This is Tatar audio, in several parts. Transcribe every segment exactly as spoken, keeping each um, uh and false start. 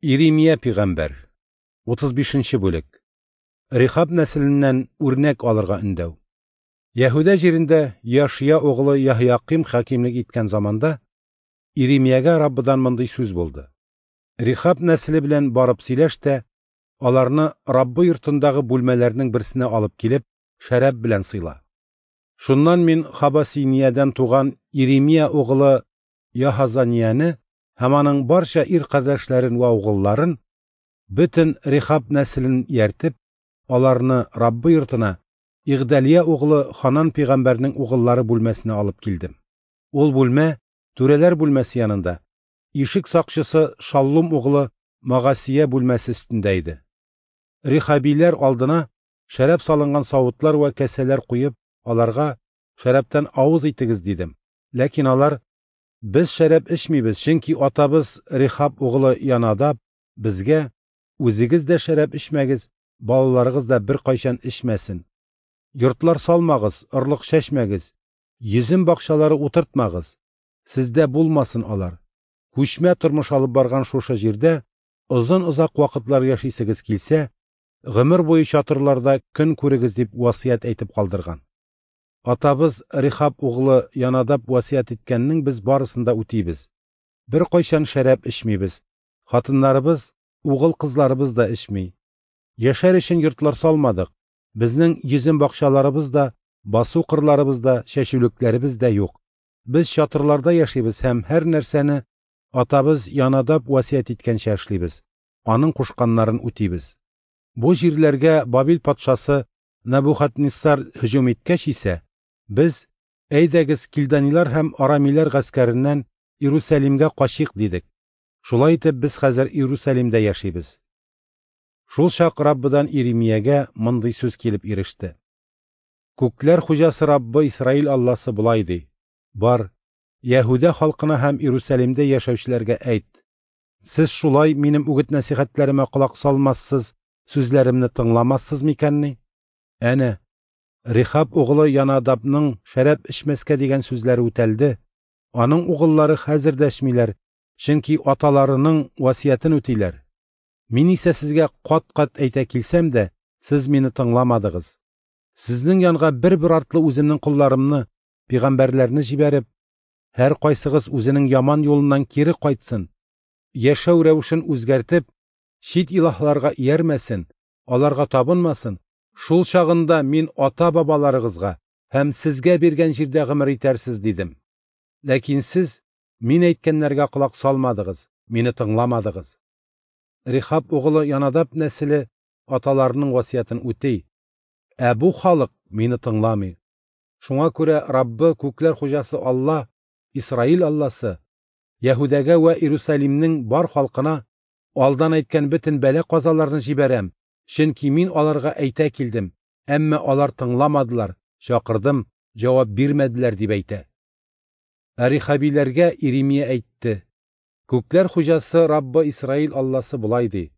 Иремия пәйгамбәр, утыз бишенче бүлек. Рихаб нәселеннән үрнәк алырга өндәү. Яһүдә җирендә Яшия углы Яһяким хакимлек иткән заманда Иремиягә Раббыдан мондый сүз булды. Рихаб нәселе белән барып сөйләш тә, аларны Раббы йортындагы бүлмәләрнең берсенә алып килеп, шәраб белән сыйла. Шуннан мин Хабасиниядән туган Иремия углы Яһазанияне һәм аның барча ир кардәшләрен вә угылларын, бөтен Рихаб нәселен ияртеп, аларны Раббы йортына Игдалия углы Ханан пәйгамбәрнең угыллары бүлмәсенә алып килдем. Ул бүлмә түрәләр бүлмәсе янында, ишек сакчысы Шаллум углы Магасия бүлмәсе өстендә иде. Рихабиләр алдына шәраб салынган савытлар вә кәсәләр куеп, аларга шәрабтан авыз итегез дидем. Ләкин алар: "Без шәраб эчмибез, чөнки атабыз Рихаб углы Янадаб безгә: үзегез дә шәраб эчмәгез, балаларыгыз да беркайчан эчмәсен. Йортлар салмагыз, орлык чәчмәгез, йөзем бакчалары утыртмагыз, сездә булмасын алар. Күчмә тормыш алып барган шушы җирдә озын-озак вакытлар яшисегез килсә, гомер буе чатырларда көн күрегез" дип васыять әйтеп калдырган. Атабыз Рихаб углы Янадаб васыять иткәннең без барысын да үтибез. Беркайчан шәраб эчмибез. Хатыннарыбыз, угыл кызларыбыз да эчми. Яшәр өчен йортлар салмадык. Безнең йөзем бакчаларыбыз да, басу кырларыбыз да, чәчүлекләребез дә юк. Без чатырларда яшибез һәм һәр нәрсәне атабыз Янадаб васыять иткәнчә эшлибез. Аның кушканнарын үтибез. Бу җирләргә Бабил патшасы Набухаднессар һөҗүм иткәч исә, без: "Әйдәгез, килданилар һәм арамиләр гаскәреннән Иерусалимгә качыйк" дидек. Шулай итеп без хәзер Иерусалимдә яшибез. Шул чак Раббыдан Иремиягә мондый сүз килеп иреште. Күкләр хуҗасы Раббы Исраил Алласы болай ди: "Бар, Яһүдә халкына һәм Иерусалимдә яшәүчеләргә әйт: сез шулай минем үгет-нәсихәтләремә колак салмассыз, сүзләремне тыңламассыз микәнни? Әнә, Рихаб углы Янадабның шәраб эчмәскә дигән сүзләре үтәлде. Аның угыллары хәзер дә эчмиләр, чөнки аталарының васыятен үтиләр. Мин исә сезгә кат-кат әйтә килсәм дә, сез мине тыңламадыгыз. Сезнең янга бер-бер артлы үземнең колларымны, пәйгамбәрләрне җибәреп, һәр кайсыгыз үзенең яман юлыннан кире кайтсын, яшәү рәвешен үзгәртеп, чит илаһларга иярмәсен, аларга табынмасын. Шул чагында мин ата-бабаларыгызга һәм сезгә биргән җирдә гомер итәрсез дидем. Ләкин сез мин әйткәннәргә колак салмадыгыз, мине тыңламадыгыз. Рихаб углы Янадаб нәселе аталарының васыятен үти, ә бу халык мине тыңламый. Шуңа күрә Раббы күкләр хуҗасы Алла, Исраил Алласы, Яһүдәгә вә Иерусалимнең бар халкына алдан әйткән бөтен бәла-казаларны җибәрәм, чөнки мин аларга әйтә килдем, әмма алар тыңламадылар, чакырдым, җавап бирмәделәр" дип әйтә. Ә Рихабиләргә Иремия әйтте: "Күкләр хуҗасы Раббы Исраил Алласы болай ди: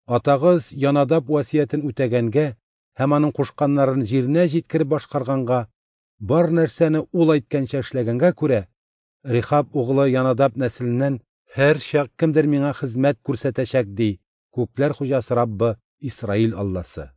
Атагыз Янадаб васыятен үтәгәнгә һәм аның кушканнарын җиренә җиткереп башкарганга, бар нәрсәне ул әйткәнчә эшләгәнгә күрә, Рихаб углы Янадаб нәселеннән һәр чак кемдер миңа хезмәт күрсәтәчәк, ди Күкләр хуҗасы Раббы Исраил Алласы".